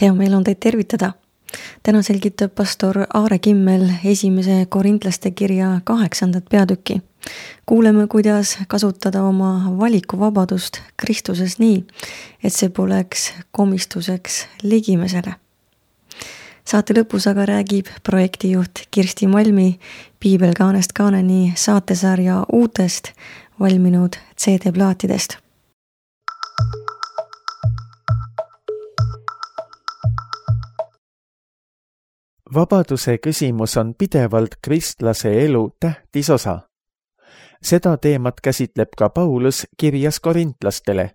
Hea meel on teid tervitada. Täna selgitab pastor Aare Kimmel 1. Korintlaste kirja 8. peatükki. Kuuleme, kuidas kasutada oma valikuvabadust Kristuses nii, et see poleks komistuseks ligimesele. Saate lõpus aga räägib projektijuht Kirsti Malmi Piibel kaanest kaaneni saatesarja uutest valminud CD-plaatidest. Vabaduse küsimus on pidevalt kristlase elu tähtis osa. Seda teemat käsitleb ka Paulus kirjas korintlastele.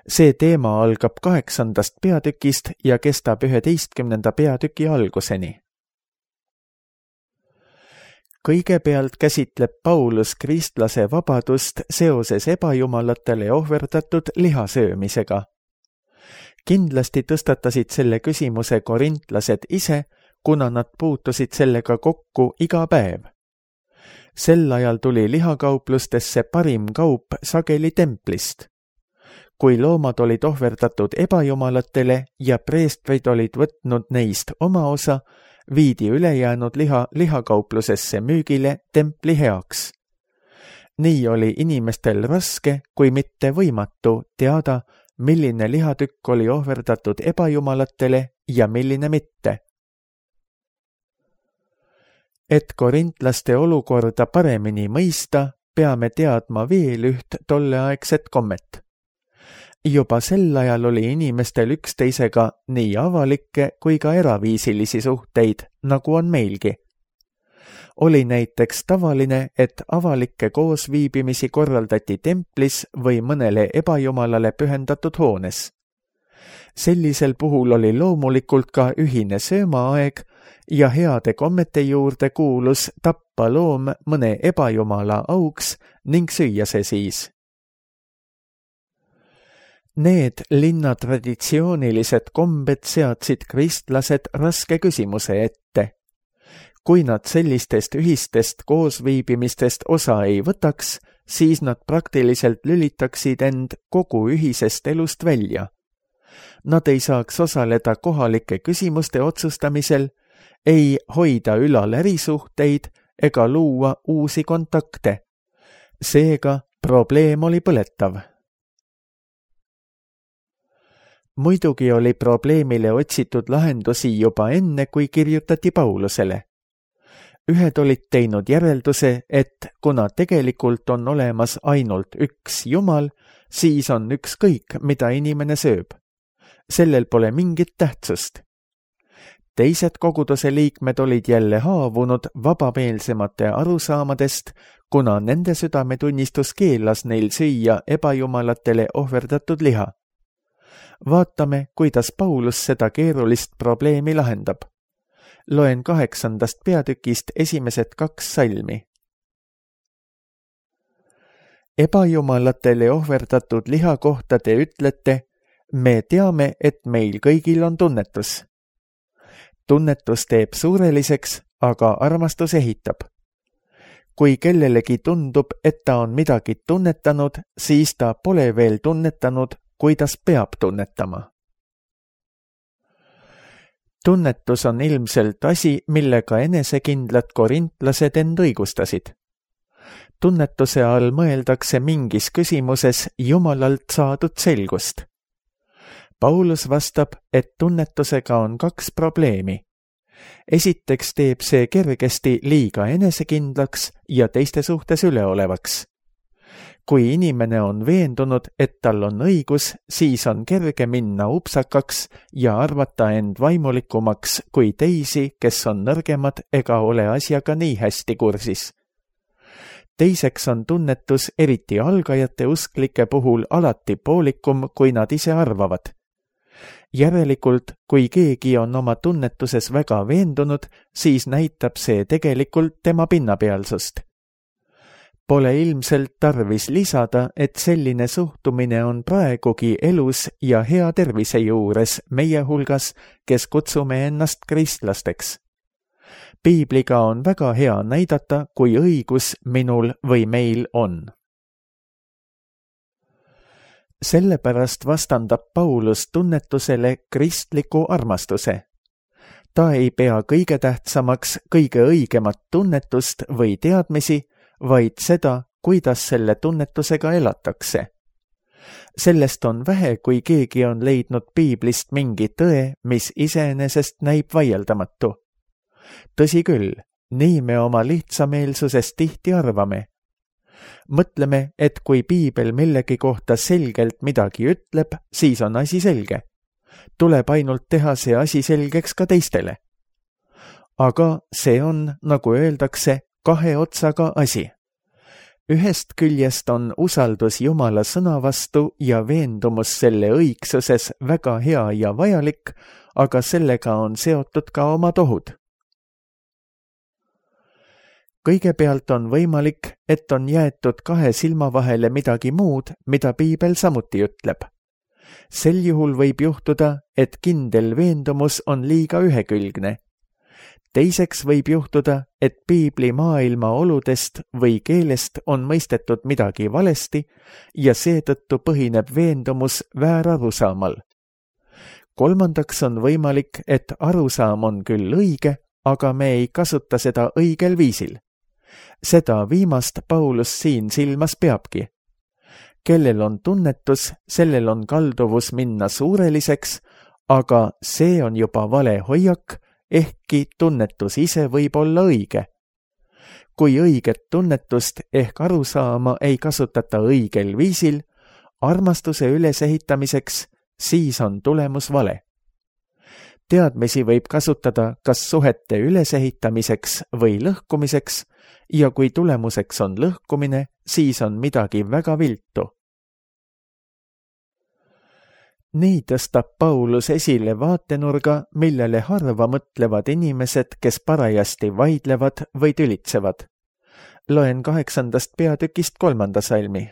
See teema algab 8. peatükist ja kestab 11. peatüki alguseni. Kõigepealt käsitleb Paulus kristlase vabadust seoses ebajumalatele ohverdatud lihasöömisega. Kindlasti tõstatasid selle küsimuse korintlased ise, kuna nad puutusid sellega kokku iga päev. Sel ajal tuli lihakauplustesse parim kaup sageli templist. Kui loomad olid ohverdatud ebajumalatele ja preestrid olid võtnud neist oma osa, viidi ülejäänud liha lihakauplusesse müügile templi heaks. Nii oli inimestel raske, kui mitte võimatu teada, milline lihatükk oli ohverdatud ebajumalatele ja milline mitte. Et korintlaste olukorda paremini mõista, peame teadma veel üht tolleaegset kommet. Juba sel ajal oli inimestel üksteisega nii avalikke kui ka eraviisilisi suhteid, nagu on meilgi. Oli näiteks tavaline, et avalikke koosviibimisi korraldati templis või mõnele ebajumalale pühendatud hoones. Sellisel puhul oli loomulikult ka ühine söömaaeg ja heade kommete juurde kuulus tappa loom mõne ebajumala auks ning süüa see siis. Need linna traditsioonilised kombed seadsid kristlased raske küsimuse ette. Kui nad sellistest ühistest koosviibimistest osa ei võtaks, siis nad praktiliselt lülitaksid end kogu ühisest elust välja. Nad ei saaks osaleda kohalike küsimuste otsustamisel, ei hoida ülal ärisuhteid ega luua uusi kontakte. Seega probleem oli põletav. Muidugi oli probleemile otsitud lahendusi juba enne, kui kirjutati Paulusele. Ühed olid teinud järelduse, et kuna tegelikult on olemas ainult üks Jumal, siis on ükskõik, mida inimene sööb. Sellel pole mingit tähtsust. Teised koguduse liikmed olid jälle haavunud vabameelsemate arusaamadest, kuna nende südametunnistus keelas neil süüa ebajumalatele ohverdatud liha. Vaatame, kuidas Paulus seda keerulist probleemi lahendab. Loen 8. peatükist esimesed 2 salmi. Ebajumalatele ohverdatud liha kohta te ütlete, me teame, et meil kõigil on tunnetus. Tunnetus teeb suureliseks, aga armastus ehitab. Kui kellelegi tundub, et ta on midagi tunnetanud, siis ta pole veel tunnetanud, kuidas peab tunnetama. Tunnetus on ilmselt asi, millega enesekindlad korintlased end õigustasid. Tunnetuse all mõeldakse mingis küsimuses Jumalalt saadud selgust. Paulus vastab, et tunnetusega on 2 probleemi. Esiteks teeb see kergesti liiga enesekindlaks ja teiste suhtes üleolevaks. Kui inimene on veendunud, et tal on õigus, siis on kerge minna upsakaks ja arvata end vaimulikumaks kui teisi, kes on nõrgemad ega ole asjaga nii hästi kursis. Teiseks on tunnetus eriti algajate usklike puhul alati poolikum, kui nad ise arvavad. Järelikult, kui keegi on oma tunnetuses väga veendunud, siis näitab see tegelikult tema pinnapealsust. Pole ilmselt tarvis lisada, et selline suhtumine on praegugi elus ja hea tervise juures meie hulgas, kes kutsume ennast kristlasteks. Piibliga on väga hea näidata, kui õigus minul või meil on. Sellepärast vastandab Paulus tunnetusele kristliku armastuse. Ta ei pea kõige tähtsamaks kõige õigemat tunnetust või teadmisi, vaid seda, kuidas selle tunnetusega elatakse. Sellest on vähe, kui keegi on leidnud piiblist mingi tõe, mis iseenesest näib vaieldamatu. Tõsi küll, nii me oma lihtsameelsusest tihti arvame. Mõtleme, et kui piibel millegi kohta selgelt midagi ütleb, siis on asi selge. Tuleb ainult teha see asi selgeks ka teistele. Aga see on, nagu öeldakse, kahe otsaga asi. Ühest küljest on usaldus Jumala sõna vastu ja veendumus selle õigsuses väga hea ja vajalik, aga sellega on seotud ka omad ohud. Kõigepealt on võimalik, et on jäetud kahe silma vahele midagi muud, mida piibel samuti ütleb. Sel juhul võib juhtuda, et kindel veendumus on liiga ühekülgne. Teiseks võib juhtuda, et piibli maailma oludest või keelest on mõistetud midagi valesti ja seetõttu põhineb veendumus väärarusaamal. Kolmandaks on võimalik, et arusaam on küll õige, aga me ei kasuta seda õigel viisil. Seda viimast Paulus siin silmas peabki. Kellel on tunnetus, sellel on kalduvus minna suureliseks, aga see on juba vale hoiak, ehkki tunnetus ise võib olla õige. Kui õiget tunnetust ehk arusaama ei kasutata õigel viisil, armastuse ülesehitamiseks, siis on tulemus vale. Teadmisi võib kasutada kas suhete ülesehitamiseks või lõhkumiseks, ja kui tulemuseks on lõhkumine, siis on midagi väga viltu. Nii tõstab Paulus esile vaatenurga, millele harva mõtlevad inimesed, kes parajasti vaidlevad või tülitsevad. Loen 8. peatükist 3. salmi.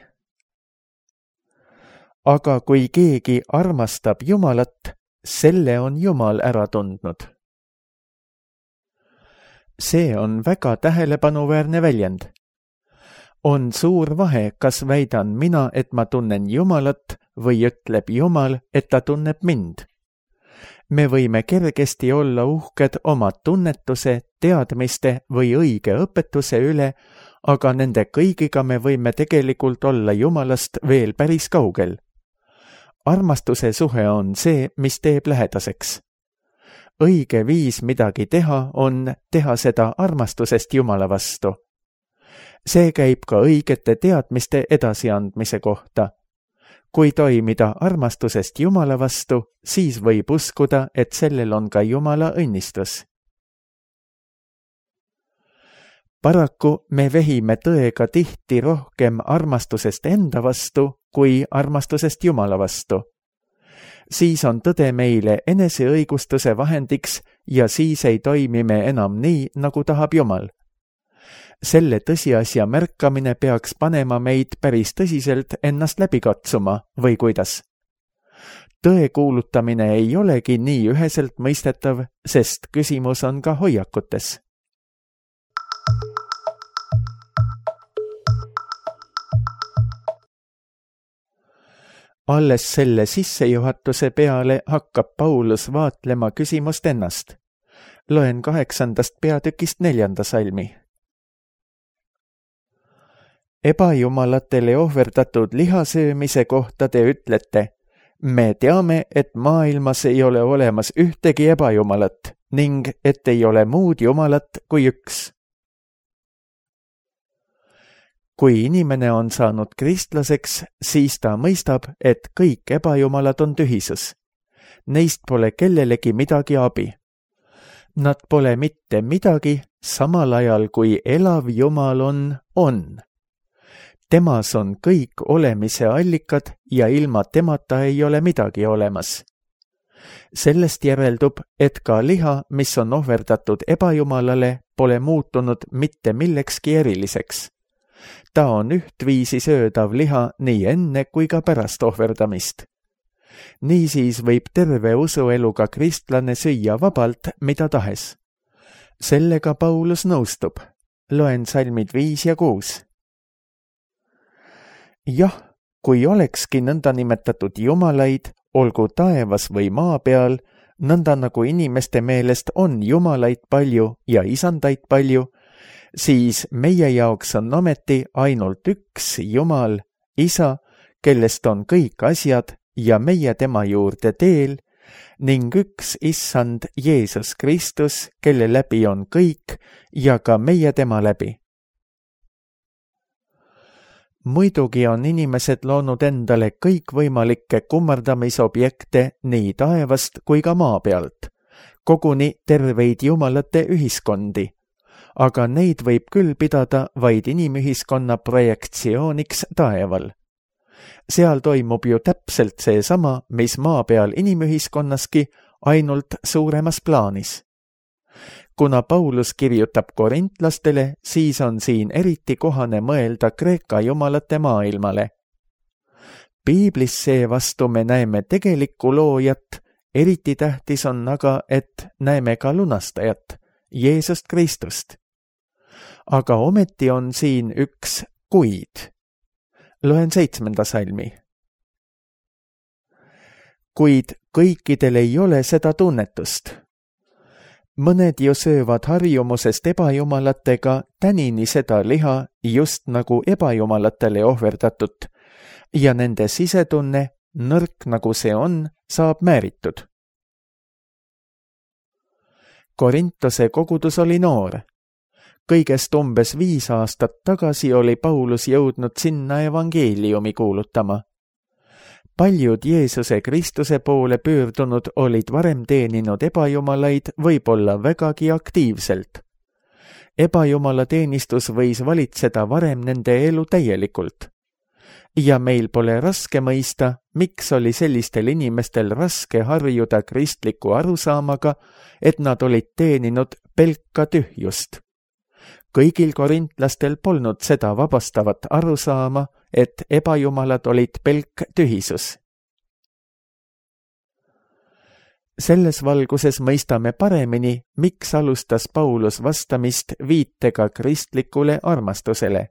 Aga kui keegi armastab Jumalat, selle on Jumal ära tundnud. See on väga tähelepanuväärne väljend. On suur vahe, kas väidan mina, et ma tunnen Jumalat, või ütleb Jumal, et ta tunneb mind. Me võime kergesti olla uhked oma tunnetuse, teadmiste või õige õpetuse üle, aga nende kõigiga me võime tegelikult olla Jumalast veel päris kaugel. Armastuse suhe on see, mis teeb lähedaseks. Õige viis midagi teha on teha seda armastusest Jumala vastu. See käib ka õigete teadmiste edasiandmise kohta. Kui toimida armastusest Jumala vastu, siis võib uskuda, et sellel on ka Jumala õnnistus. Paraku me vehime tõega tihti rohkem armastusest enda vastu kui armastusest Jumala vastu. Siis on tõde meile eneseõigustuse vahendiks ja siis ei toimi me enam nii, nagu tahab Jumal. Selle tõsiasja märkamine peaks panema meid päris tõsiselt ennast läbi katsuma, või kuidas? Tõe kuulutamine ei olegi nii üheselt mõistetav, sest küsimus on ka hoiakutes. Alles selle sissejuhatuse peale hakkab Paulus vaatlema küsimust ennast. Loen 8. peatükist 4. salmi. Ebajumalatele ohverdatud lihasöömise kohta te ütlete, me teame, et maailmas ei ole olemas ühtegi ebajumalat ning et ei ole muud jumalat kui üks. Kui inimene on saanud kristlaseks, siis ta mõistab, et kõik ebajumalad on tühisus. Neist pole kellelegi midagi abi. Nad pole mitte midagi, samal ajal kui elav Jumal on. Temas on kõik olemise allikad ja ilma temata ei ole midagi olemas. Sellest järeldub, et ka liha, mis on ohverdatud ebajumalale, pole muutunud mitte millekski eriliseks. Ta on ühtviisi söödav liha nii enne kui ka pärast ohverdamist. Niisiis võib terve usueluga kristlane süüa vabalt, mida tahes. Sellega Paulus nõustub. Loen salmid 5 ja 6. Jah, kui olekski nõndanimetatud jumalaid, olgu taevas või maa peal, nõnda nagu inimeste meelest on jumalaid palju ja isandaid palju, siis meie jaoks on ometi ainult üks Jumal, Isa, kellest on kõik asjad ja meie tema juurde teel, ning üks Issand Jeesus Kristus, kelle läbi on kõik ja ka meie tema läbi. Muidugi on inimesed loonud endale kõikvõimalikke kummardamisobjekte nii taevast kui ka maa pealt, koguni terveid jumalate ühiskondi, aga neid võib küll pidada vaid inimühiskonna projektsiooniks taeval. Seal toimub ju täpselt seesama, mis maa peal inimühiskonnaski, ainult suuremas plaanis. Kuna Paulus kirjutab korintlastele, siis on siin eriti kohane mõelda Kreeka jumalate maailmale. Piiblis seevastu me näeme tegelikku loojat, eriti tähtis on aga, et näeme ka lunastajat, Jeesust Kristust. Aga ometi on siin üks kuid. Loen 7. salmi. Kuid kõikidel ei ole seda tunnetust. Mõned ju söövad harjumusest ebajumalatega tänini seda liha just nagu ebajumalatele ohverdatut ja nende sisetunne, nõrk nagu see on, saab määritud. Korintose kogudus oli noor. Kõigest umbes 5 aastat tagasi oli Paulus jõudnud sinna evangeeliumi kuulutama. Paljud Jeesuse Kristuse poole pöördunud olid varem teeninud ebajumalaid võib-olla vägagi aktiivselt. Ebajumala teenistus võis valitseda varem nende elu täielikult. Ja meil pole raske mõista, miks oli sellistel inimestel raske harjuda kristliku arusaamaga, et nad olid teeninud pelka tühjust. Kõigil korintlastel polnud seda vabastavat arusaama, et ebajumalad olid pelk tühisus. Selles valguses mõistame paremini, miks alustas Paulus vastamist viitega kristlikule armastusele.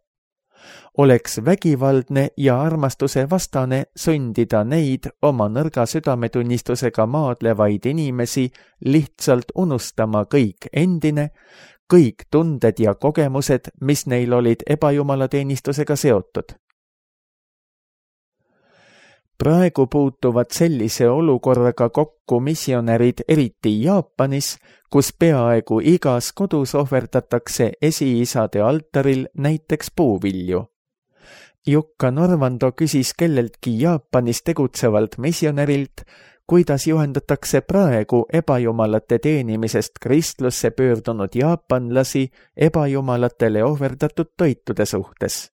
Oleks vägivaldne ja armastuse vastane sundida neid oma nõrga südametunnistusega maadlevaid inimesi lihtsalt unustama kõik endine, kõik tunded ja kogemused, mis neil olid ebajumalateenistusega seotud. Praegu puutuvad sellise olukorraga kokku missionärid eriti Jaapanis, kus peaaegu igas kodus ohverdatakse esiisade altaril näiteks puuvilju. Jukka Norvando küsis kelleltki Jaapanis tegutsevalt missionärilt, kuidas juhendatakse praegu ebajumalate teenimisest kristlusse pöördunud jaapanlasi ebajumalatele ohverdatud toitude suhtes.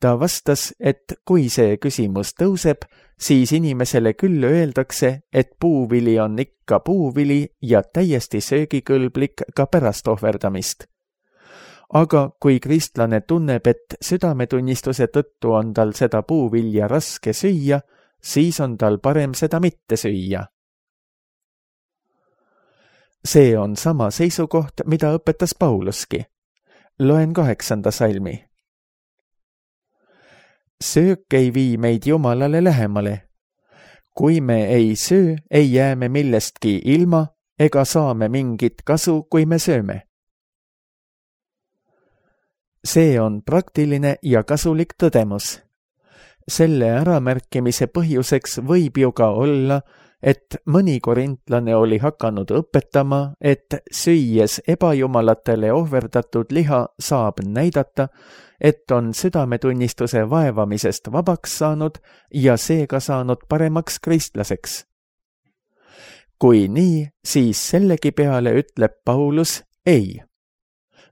Ta vastas, et kui see küsimus tõuseb, siis inimesele küll öeldakse, et puuvili on ikka puuvili ja täiesti söögikõlblik ka pärast ohverdamist. Aga kui kristlane tunneb, et südametunnistuse tõttu on tal seda puuvilja raske süüa, siis on tal parem seda mitte süüa. See on sama seisukoht, mida õpetas Pauluski. Loen 8. salmi. Söök ei vii meid Jumalale lähemale. Kui me ei söö, ei jää me millestki ilma ega saame mingit kasu, kui me sööme. See on praktiline ja kasulik tõdemus. Selle äramärkimise põhjuseks võib ju ka olla, et mõni korintlane oli hakanud õpetama, et süües ebajumalatele ohverdatud liha saab näidata, et on südametunnistuse vaevamisest vabaks saanud ja seega saanud paremaks kristlaseks. Kui nii, siis sellegi peale ütleb Paulus ei.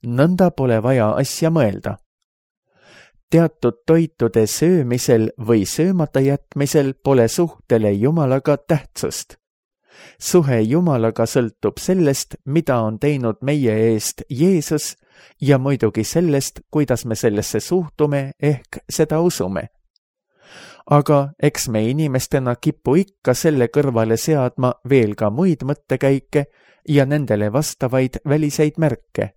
Nõnda pole vaja asja mõelda. Teatud toitude söömisel või söömata jätmisel pole suhtele Jumalaga tähtsust. Suhe Jumalaga sõltub sellest, mida on teinud meie eest Jeesus ja muidugi sellest, kuidas me sellesse suhtume ehk seda usume. Aga eks me inimestena kipu ikka selle kõrvale seadma veel ka muid mõttekäike ja nendele vastavaid väliseid märke.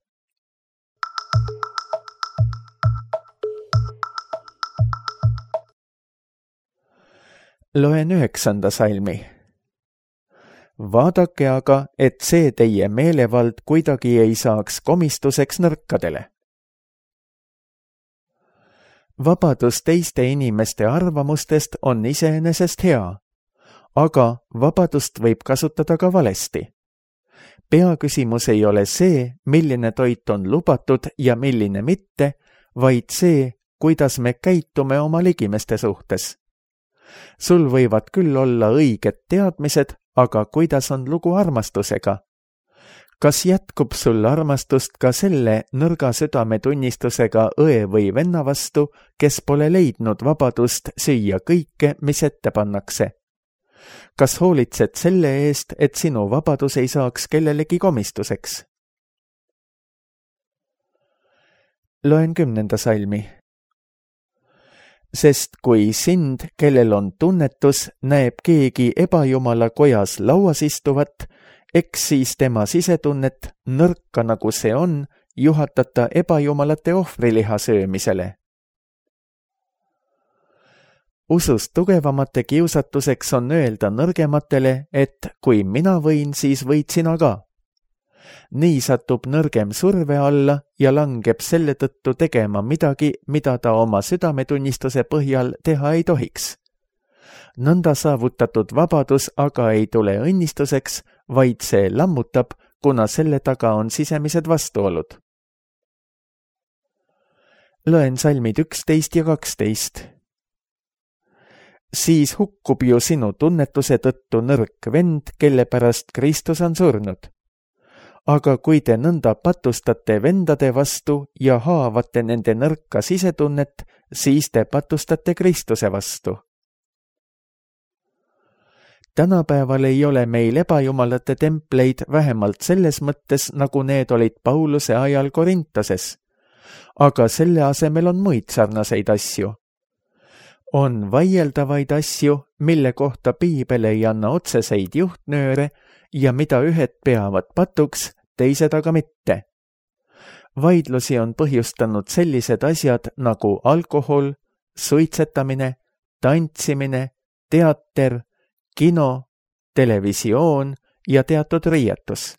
Loen 9. salmi. Vaadake aga, et see teie meelevald kuidagi ei saaks komistuseks nõrkadele. Vabadus teiste inimeste arvamustest on iseenesest hea, aga vabadust võib kasutada ka valesti. Peaküsimus ei ole see, milline toit on lubatud ja milline mitte, vaid see, kuidas me käitume oma ligimeste suhtes. Sul võivad küll olla õiged teadmised, aga kuidas on lugu armastusega? Kas jätkub sul armastust ka selle nõrga südametunnistusega õe või venna vastu, kes pole leidnud vabadust süüa kõike, mis ette pannakse? Kas hoolitsed selle eest, et sinu vabadus ei saaks kellelegi komistuseks? Loen 10. salmi. Sest kui sind, kellel on tunnetus, näeb keegi ebajumala kojas lauas istuvat, eks siis tema sisetunnet, nõrka nagu see on, juhatata ebajumalate ohvriliha söömisele. Usust tugevamate kiusatuseks on öelda nõrgematele, et kui mina võin, siis võid sina ka. Nii satub nõrgem surve alla ja langeb selle tõttu tegema midagi, mida ta oma südametunnistuse põhjal teha ei tohiks. Nõnda saavutatud vabadus aga ei tule õnnistuseks, vaid see lammutab, kuna selle taga on sisemised vastuolud. Loen salmid 11 ja 12. Siis hukkub ju sinu tunnetuse tõttu nõrk vend, kelle pärast Kristus on surnud. Aga kui te nõnda patustate vendade vastu ja haavate nende nõrka sisetunnet, siis te patustate Kristuse vastu. Tänapäeval ei ole meil ebajumalate templeid vähemalt selles mõttes, nagu need olid Pauluse ajal Korintoses. Aga selle asemel on muid sarnaseid asju. On vaieldavaid asju, mille kohta Piibel ei anna otseseid juhtnööre ja mida ühed peavad patuks, teised aga mitte. Vaidlusi on põhjustanud sellised asjad nagu alkohol, suitsetamine, tantsimine, teater, kino, televisioon ja teatud riietus.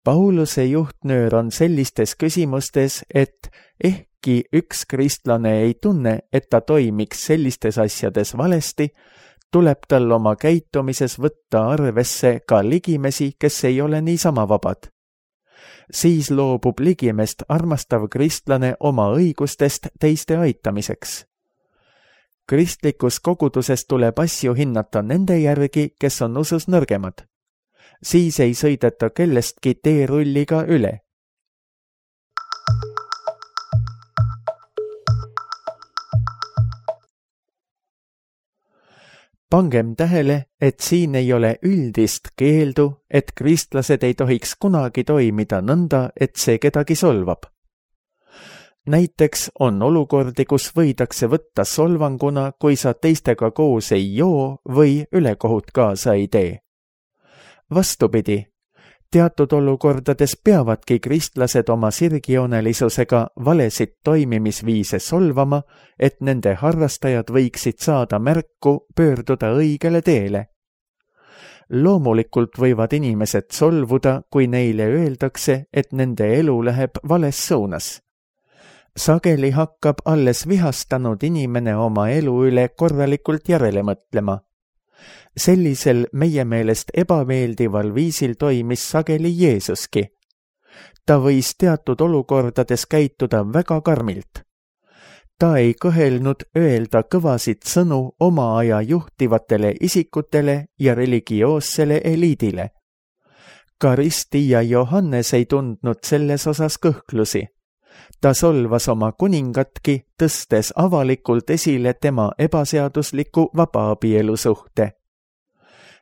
Pauluse juhtnöör on sellistes küsimustes, et ehkki üks kristlane ei tunne, et ta toimiks sellistes asjades valesti, tuleb tal oma käitumises võtta arvesse ka ligimesi, kes ei ole niisama vabad. Siis loobub ligimest armastav kristlane oma õigustest teiste aitamiseks. Kristlikus koguduses tuleb asju hinnata nende järgi, kes on usus nõrgemad. Siis ei sõideta kellestki teerulliga üle. Pangem tähele, et siin ei ole üldist keeldu, et kristlased ei tohiks kunagi toimida nõnda, et see kedagi solvab. Näiteks on olukordi, kus võidakse võtta solvanguna, kui sa teistega koos ei joo või ülekohut kaasa ei tee. Vastupidi, teatud olukordades peavadki kristlased oma sirgjoonelisusega valesid toimimisviise solvama, et nende harrastajad võiksid saada märku pöörduda õigele teele. Loomulikult võivad inimesed solvuda, kui neile öeldakse, et nende elu läheb vales suunas. Sageli hakkab alles vihastanud inimene oma elu üle korralikult järele mõtlema. Sellisel meie meelest ebameeldival viisil toimis sageli Jeesuski. Ta võis teatud olukordades käituda väga karmilt. Ta ei kõhelnud öelda kõvasid sõnu oma aja juhtivatele isikutele ja religioossele eliidile. Ka Risti ja Johannes ei tundnud selles osas kõhklusi. Ta solvas oma kuningatki, tõstes avalikult esile tema ebaseadusliku vabaabielu suhte.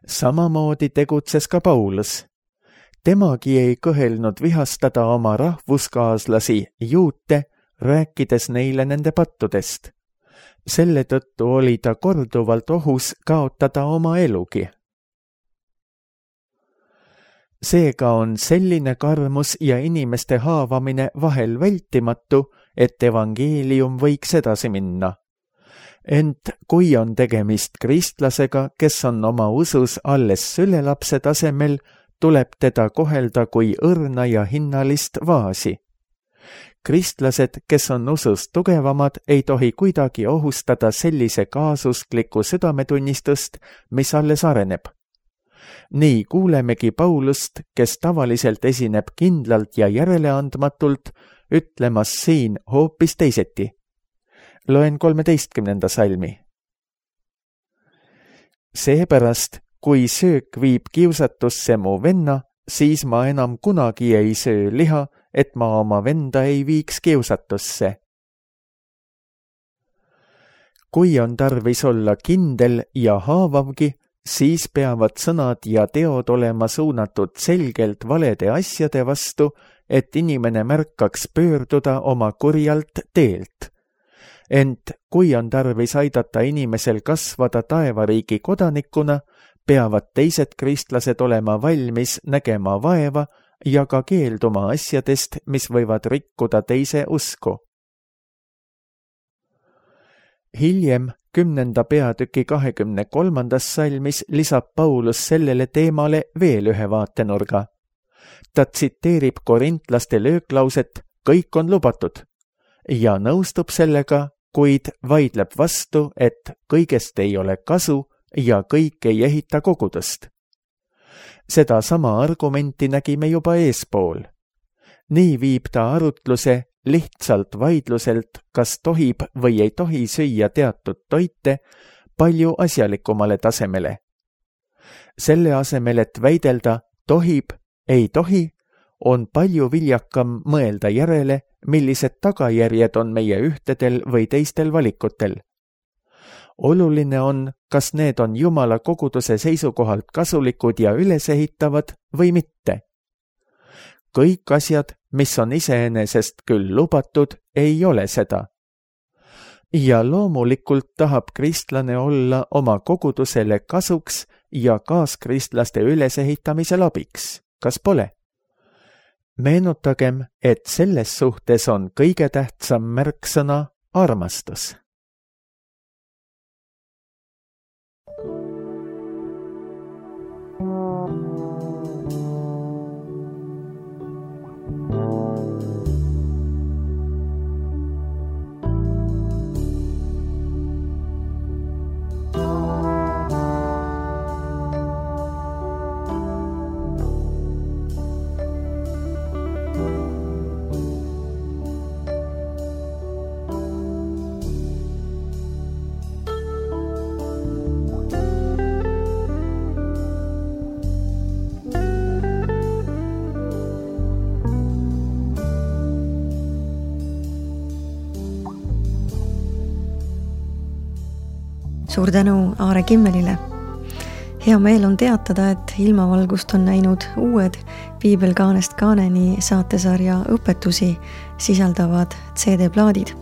Samamoodi tegutses ka Paulus. Temagi ei kõhelnud vihastada oma rahvuskaaslasi juute, rääkides neile nende pattudest. Selle tõttu oli ta korduvalt ohus kaotada oma elugi. Seega on selline karmus ja inimeste haavamine vahel vältimatu, et evangeelium võiks edasi minna. Ent kui on tegemist kristlasega, kes on oma usus alles sülelapse tasemel, tuleb teda kohelda kui õrna ja hinnalist vaasi. Kristlased, kes on usus tugevamad, ei tohi kuidagi ohustada sellise kaasuskliku südametunnistust, mis alles areneb. Nii kuulemegi Paulust, kes tavaliselt esineb kindlalt ja järeleandmatult, ütlemas siin hoopis teiseti. Loen 13. salmi. Seepärast, kui söök viib kiusatusse mu venna, siis ma enam kunagi ei söö liha, et ma oma venda ei viiks kiusatusse. Kui on tarvis olla kindel ja haavavgi, siis peavad sõnad ja teod olema suunatud selgelt valede asjade vastu, et inimene märkaks pöörduda oma kurjalt teelt. Ent kui on tarvis aidata inimesel kasvada taevariigi kodanikuna, peavad teised kristlased olema valmis nägema vaeva ja ka keelduma asjadest, mis võivad rikkuda teise usku. Hiljem 10. peatüki 23. salmis lisab Paulus sellele teemale veel ühe vaatenurga. Ta tsiteerib korintlaste lööklauset "Kõik on lubatud" ja nõustub sellega, kuid vaidleb vastu, et kõigest ei ole kasu ja kõik ei ehita kogudust. Seda sama argumenti nägime juba eespool. Nii viib ta arutluse lihtsalt vaidluselt, kas tohib või ei tohi süüa teatud toite, palju asjalikumale tasemele. Selle asemel, et väidelda tohib, ei tohi, on palju viljakam mõelda järele, millised tagajärjed on meie ühtedel või teistel valikutel. Oluline on, kas need on Jumala koguduse seisukohalt kasulikud ja ülesehitavad või mitte. Kõik asjad, mis on iseenesest küll lubatud, ei ole seda. Ja loomulikult tahab kristlane olla oma kogudusele kasuks ja kaaskristlaste ülesehitamisel abiks, kas pole? Meenutagem, et selles suhtes on kõige tähtsam märksõna armastus. Suur tänu Aare Kimmelile. Hea meel on teatada, et ilmavalgust on näinud uued Piibel kaanest kaaneni saatesarja õpetusi sisaldavad CD-plaadid.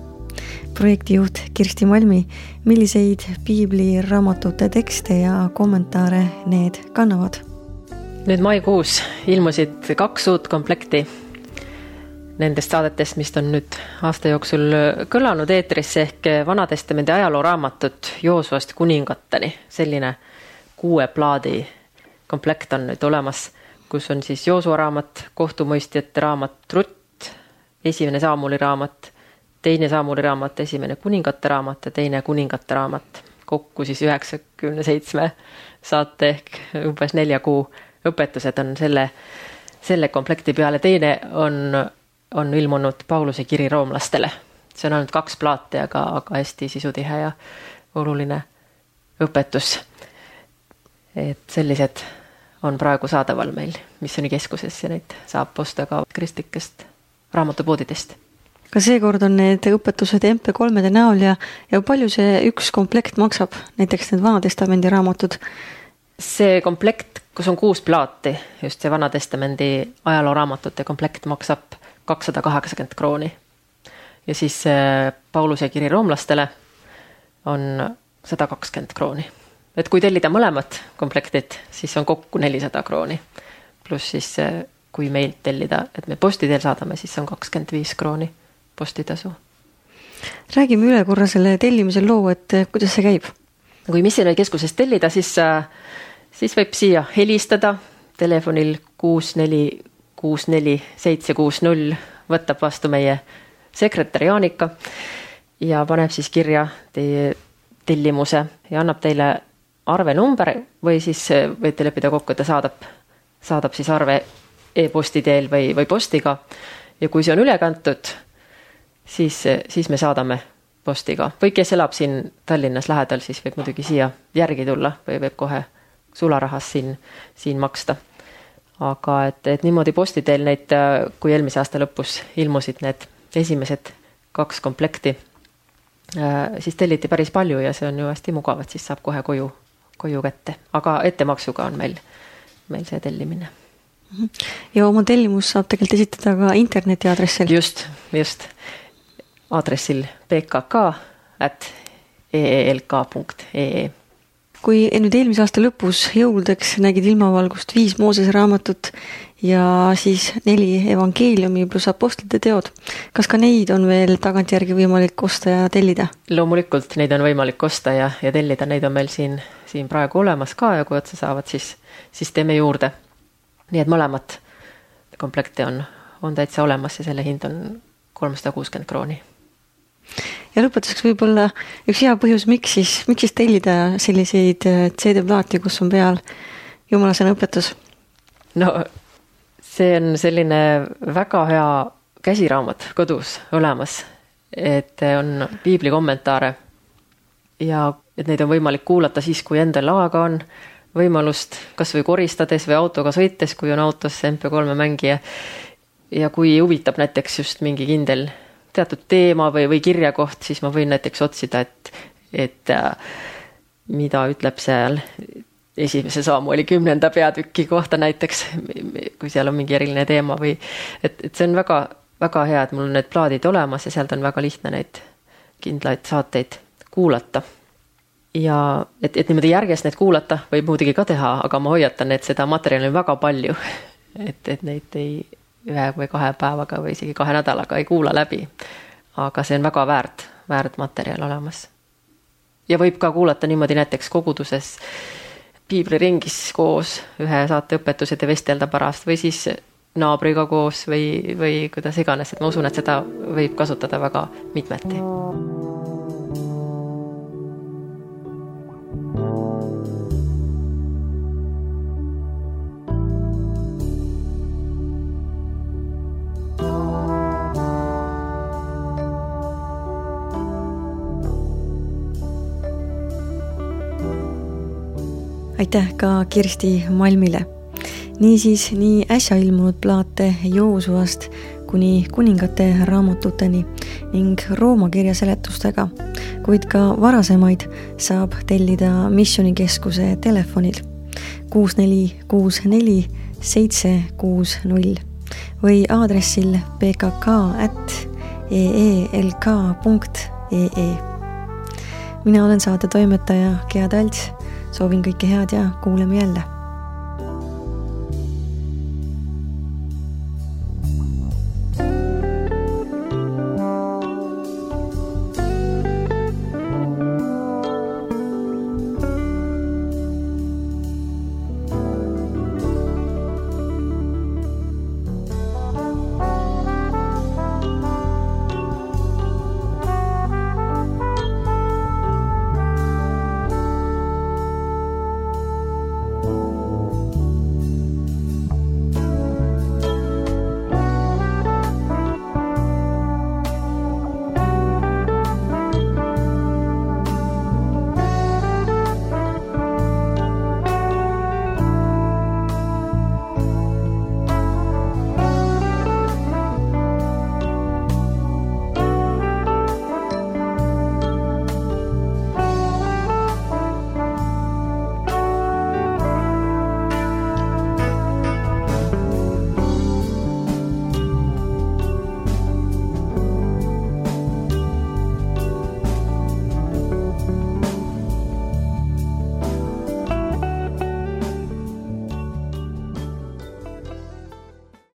Projektijuht Kirsti Malmi, milliseid Piibli raamatute tekste ja kommentaare need kannavad? Nüüd maikuus ilmusid 2 uut komplekti nendest saadetest, mis on nüüd aasta jooksul kõlanud eetrisse ehk Vanatestamendi ajalooraamatut Joosuast kuningateni. Selline 6 plaadi komplekt on nüüd olemas, kus on siis Joosua raamat, kohtumõistjate raamat Rutt, 1. Saamuli raamat, 2. Saamuli raamat, 1. kuningate raamat ja 2. kuningate raamat. Kokku siis 97 saate ehk umbes 4 kuu õpetused on selle komplekti peale. Teine on ilmunud Pauluse kiri roomlastele. See on ainult 2 plaati, aga hästi sisutihe ja oluline õpetus. Et sellised on praegu saadaval meil missioonikeskuses ja neid saab osta ka kristlikest raamatupoodidest. Ka seekord on need õpetused MP3-de näol ja palju see üks komplekt maksab, näiteks need Vanatestamendi raamatud? See komplekt, kus on 6 plaati, just see Vanatestamendi ajalooraamatute komplekt maksab 280 krooni. Ja siis Pauluse kiri roomlastele on 120 krooni. Et kui tellida mõlemad komplektid, siis on kokku 400 krooni. Pluss siis, kui meilt tellida, et me posti teel saadame, siis on 25 krooni postitasu. Räägime üle korra selle tellimise loo, et kuidas see käib? Kui Missionärikeskusest tellida, siis võib siia helistada telefonil 6464760, võtab vastu meie sekretär Jaanika ja paneb siis kirja teie tellimuse ja annab teile arvenumber või siis võite leppida kokku, et ta saadab siis arve e-posti teel või postiga. Ja kui see on üle kantud, siis me saadame postiga. Või kes elab siin Tallinnas lähedal, siis võib muidugi siia järgi tulla või võib kohe sularahas siin maksta. Aga et niimoodi posti teel neid, kui eelmise aasta lõpus ilmusid need esimesed 2 komplekti, siis telliti päris palju ja see on ju hästi mugav, et siis saab kohe koju kätte. Aga ettemaksuga on meil see tellimine. Ja oma tellimus saab tegelikult esitada ka interneti aadressil. Just. Aadressil pkk@eelk.ee. Kui nüüd eelmise aasta lõpus jõuludeks nägid ilmavalgust 5 Moosese raamatut ja siis 4 evangeeliumi pluss apostlite teod, kas ka neid on veel tagantjärgi võimalik osta ja tellida? Loomulikult neid on võimalik osta ja tellida, neid on meil siin praegu olemas ka ja kui otsa saavad, siis teeme juurde. Nii et mõlemat komplekte on täitsa olemas ja selle hind on 360 krooni. Ja lõpetuseks võib-olla üks hea põhjus, miks siis tellida selliseid CD-plaati, kus on peal jumalasõna õpetus? No see on selline väga hea käsiraamat kodus olemas, et on piibli kommentaare ja et neid on võimalik kuulata siis, kui endal aega on, võimalust kas või koristades või autoga sõites, kui on autos MP3 mängija ja kui huvitab näiteks just mingi kindel teatud teema või kirjakoht, siis ma võin näiteks otsida, et mida ütleb seal 1. Saamueli 10. peatüki kohta näiteks, kui seal on mingi eriline teema või et see on väga, väga hea, et mul on need plaadid olemas ja sealt on väga lihtne neid kindlaid saateid kuulata. Ja et niimoodi järgest neid kuulata võib muidugi ka teha, aga ma hoiatan, et seda materjali on väga palju, et neid ei 1 või 2 päevaga või isegi 2 nädalaga ei kuula läbi. Aga see on väga väärt materjal olemas. Ja võib ka kuulata niimoodi näiteks koguduses piibliringis koos ühe saate õpetused ja vestelda pärast või siis naabriga koos või kuidas iganes, et ma usun, et seda võib kasutada väga mitmeti. Aitäh ka Kirsti Malmile. Niisiis nii äsja ilmunud plaate Joosuast kuni kuningate raamatuteni ning Rooma kirja seletustega, kuid ka varasemaid saab tellida Missionikeskuse telefonil 6464 760 või aadressil pkk@eelk.ee. Mina olen saate toimetaja Gea Talts. Soovin kõike head ja kuuleme jälle.